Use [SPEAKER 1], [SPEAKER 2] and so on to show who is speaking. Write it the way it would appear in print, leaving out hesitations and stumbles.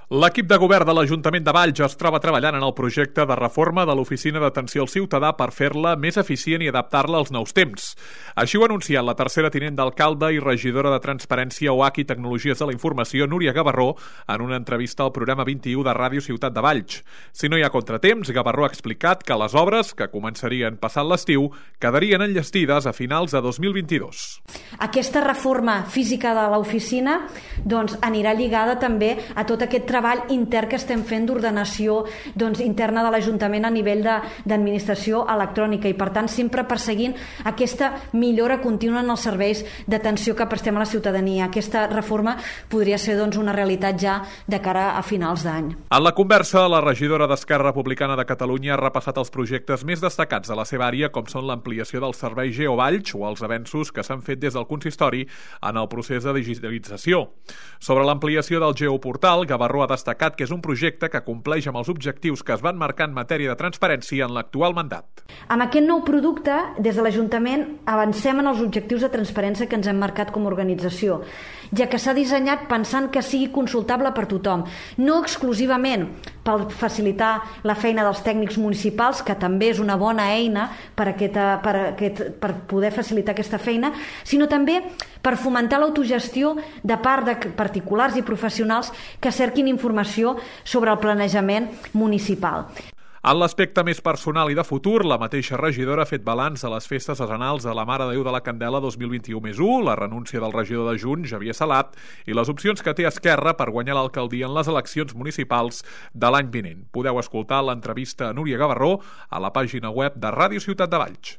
[SPEAKER 1] L'equip de govern de l'Ajuntament de Valls es troba treballant en el projecte de reforma de l'Oficina d'Atenció al Ciutadà per fer-la més eficient i adaptar-la als nous temps. Així ho ha anunciat la tercera tinent d'alcalde i regidora de Transparència, OH i Tecnologies de la Informació, Núria Gavarró, en una entrevista al programa 21 de Ràdio Ciutat de Valls. Si no hi ha contratemps, Gavarró ha explicat que les obres, que començarien passat l'estiu, quedarien enllestides a finals de 2022.
[SPEAKER 2] Aquesta reforma física de l'oficina anirà lligada també a tot aquest treball intern que estem fent d'ordenació interna de l'Ajuntament a nivell d'administració electrònica i, per tant, sempre perseguint aquesta millora contínua en els serveis d'atenció que prestem a la ciutadania. Aquesta reforma podria ser una realitat ja de cara a finals d'any.
[SPEAKER 1] En la conversa, la regidora d'Esquerra Republicana de Catalunya ha repassat els projectes més destacats de la seva àrea, com són l'ampliació del servei GeoValls o els avenços que s'han fet des del consistori en el procés de digitalització. Sobre l'ampliació del Geoportal, Gavarró ha destacat que és un projecte que compleix amb els objectius que es van marcar en matèria de transparència en l'actual mandat.
[SPEAKER 2] Amb aquest nou producte, des de l'Ajuntament avancem en els objectius de transparència que ens hem marcat com a organització, ja que s'ha dissenyat pensant que sigui consultable per tothom, no exclusivament per facilitar la feina dels tècnics municipals, que també és una bona eina per poder facilitar aquesta feina, sinó també per fomentar l'autogestió de part de particulars i professionals que cerquin informació sobre el planejament municipal.
[SPEAKER 1] En l'aspecte més personal i de futur, la mateixa regidora ha fet balanç de les festes serenals de la Mare de Déu de la Candela 2021+1, la renúncia del regidor de Junts, Xavier Salat, i les opcions que té Esquerra per guanyar l'alcaldia en les eleccions municipals de l'any vinent. Podeu escoltar l'entrevista a Núria Gavarró a la pàgina web de Ràdio Ciutat de Valls.